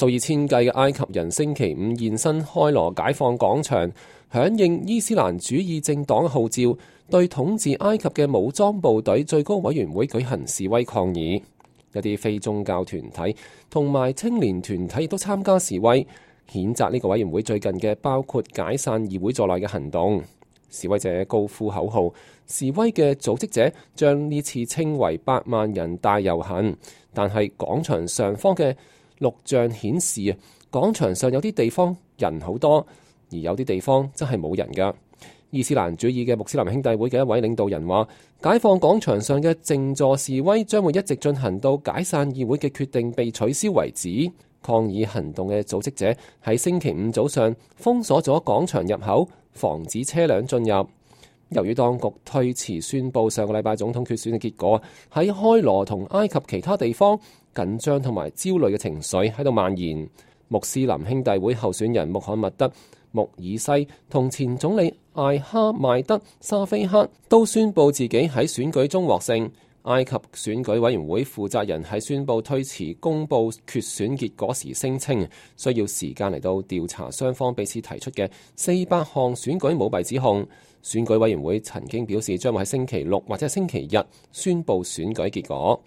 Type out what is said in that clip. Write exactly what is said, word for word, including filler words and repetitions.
數以千計嘅埃及人星期五現身開羅解放廣場，響應伊斯蘭主義政黨號召，對統治埃及嘅武裝部隊最高委員會舉行示威抗議。一啲非宗教團體同埋青年團體亦都參加示威，譴責呢個委員會最近嘅包括解散議會在內嘅行動。示威者高呼口號，示威嘅組織者將呢次稱為百萬人大遊行，但係廣場上方嘅錄像顯示啊，廣場上有啲地方人好多，而有啲地方真係冇人㗎。伊斯蘭主義嘅穆斯林兄弟會嘅一位領導人話，解放廣場上嘅靜坐示威將會一直進行到解散議會嘅決定被取消為止。抗議行動嘅組織者喺星期五早上封鎖咗廣場入口，防止車輛進入。由於當局推遲宣佈上個禮拜總統決選嘅結果，喺開羅同埃及其他地方，緊張同埋焦慮嘅情緒喺度蔓延。穆斯林兄弟會候選人穆罕默德穆爾西同前總理艾哈邁德沙菲克都宣佈自己喺選舉中獲勝。埃及選舉委員會負責人喺宣佈推遲公佈決選結果時聲稱，需要時間嚟到調查雙方彼此提出嘅四百項選舉舞弊指控。選舉委員會曾經表示將會喺星期六或者星期日宣佈選舉結果。